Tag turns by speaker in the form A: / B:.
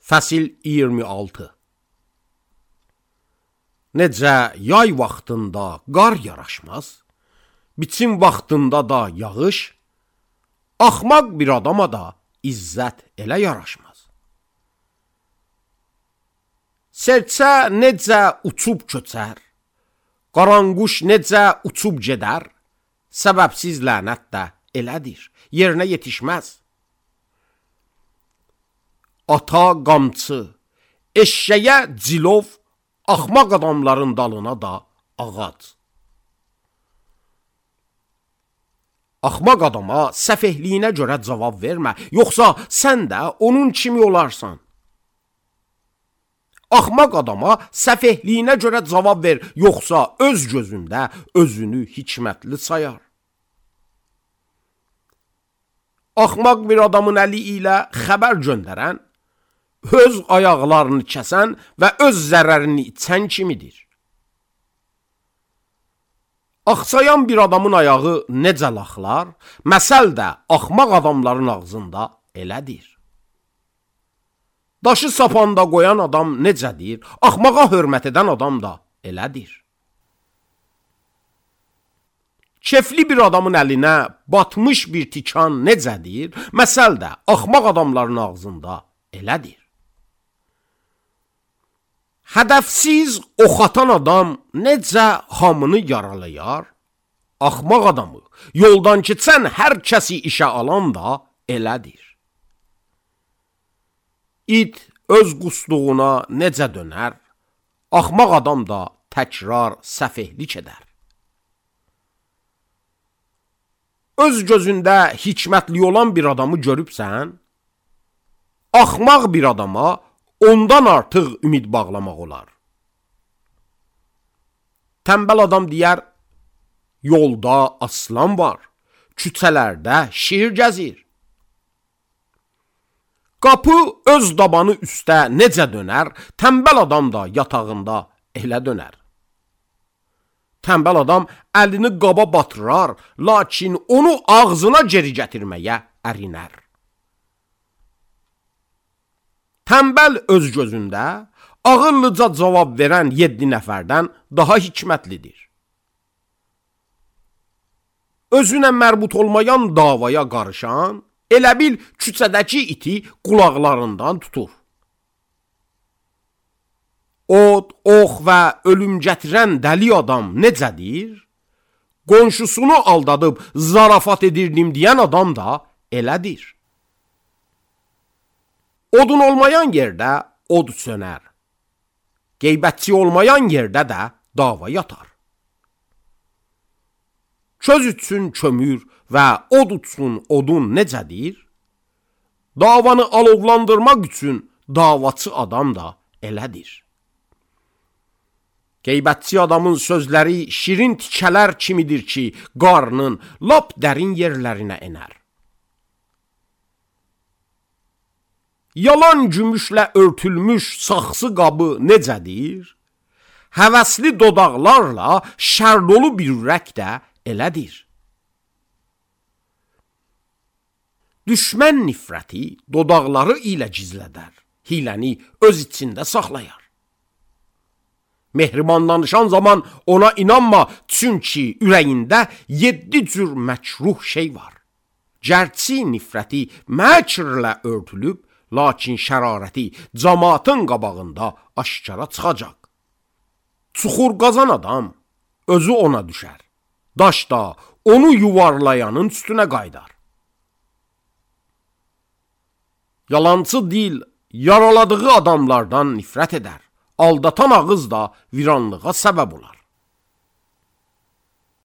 A: Fəsil 26. Necə yay vaxtında qar yaraşmaz, biçim vaxtında da yağış, axmaq bir adama da izzət elə yaraşmaz. Serçə necə uçub köçər, qaranquş necə uçub gedər, səbəbsiz lənət də elədir, yerinə yetişməz. Ata qamçı, eşşəyə cilov, axmaq adamların dalına da ağac. Axmaq adama səfehliyinə görə cavab vermə, yoxsa sən də onun kimi olarsan. Axmaq adama səfehliyinə görə cavab ver, yoxsa öz gözündə özünü hikmətli sayar. Axmaq bir adamın əli ilə xəbər göndərən, öz ayaqlarını kəsən və öz zərərini içən kimidir. Axsayan bir adamın ayağı necə laxlar, məsəl də axmaq adamların ağzında elədir. Daşı sapanda qoyan adam necədir, axmağa hörmət edən adam da elədir. Kefli bir adamın əlinə batmış bir tikan necədir, məsəl də axmaq adamların ağzında elədir. Hədəfsiz ox atan adam necə hamını yaralayar, axmaq adamı yoldan keçən hər kəsi işə alan da elədir. İt öz qusduğuna necə dönər, axmaq adam da təkrar səfehlik edər. Öz gözündə hikmətli olan bir adamı görübsən, axmaq bir adama ondan artıq ümid bağlamaq olar. Tənbəl adam deyər, yolda aslan var, küçələrdə şir gəzir. Qapı öz dabanı üstə necə dönər, tənbəl adam da yatağında elə dönər. Tənbəl adam əlini qaba batırar, lakin onu ağzına geri gətirməyə ərinər. Tənbəl öz gözündə ağıllıca cavab verən 7 nəfərdən daha hikmətlidir. Özünə mərbut olmayan davaya qarışan, elə bil küçədəki iti qulaqlarından tutur. Od, ox və ölüm gətirən dəli adam necədir? Qonşusunu aldadıb zarafat edirdim deyən adam da elədir. Odun olmayan yerdə od sönər. Qeybətçi olmayan yerdə də dava yatar. Köz üçün kömür və od üçün odun necədir? Davanı alovlandırmaq üçün davaçı adam da elədir. Qeybətçi adamın sözləri şirin tikələr kimidir ki, qarnın lap dərin yerlərinə enər. Yalan gümüşlə örtülmüş saxsı qabı necədir? Həvəsli dodaqlarla şər dolu bir ürək də elədir. Düşmən nifrəti dodaqları ilə gizlədər, hiləni öz içində saxlayar. Mehriban danışan zaman ona inanma, çünki ürəyində 7 cür məkruh şey var. Gərçi nifrəti məkrlə örtülüb, lakin şərarəti cəmaatın qabağında aşkara çıxacaq. Çuxur qazan adam özü ona düşər. Daş da onu yuvarlayanın üstünə qaydar. Yalancı dil yaraladığı adamlardan nifrət edər. Aldatan ağız da viranlığa səbəb olar.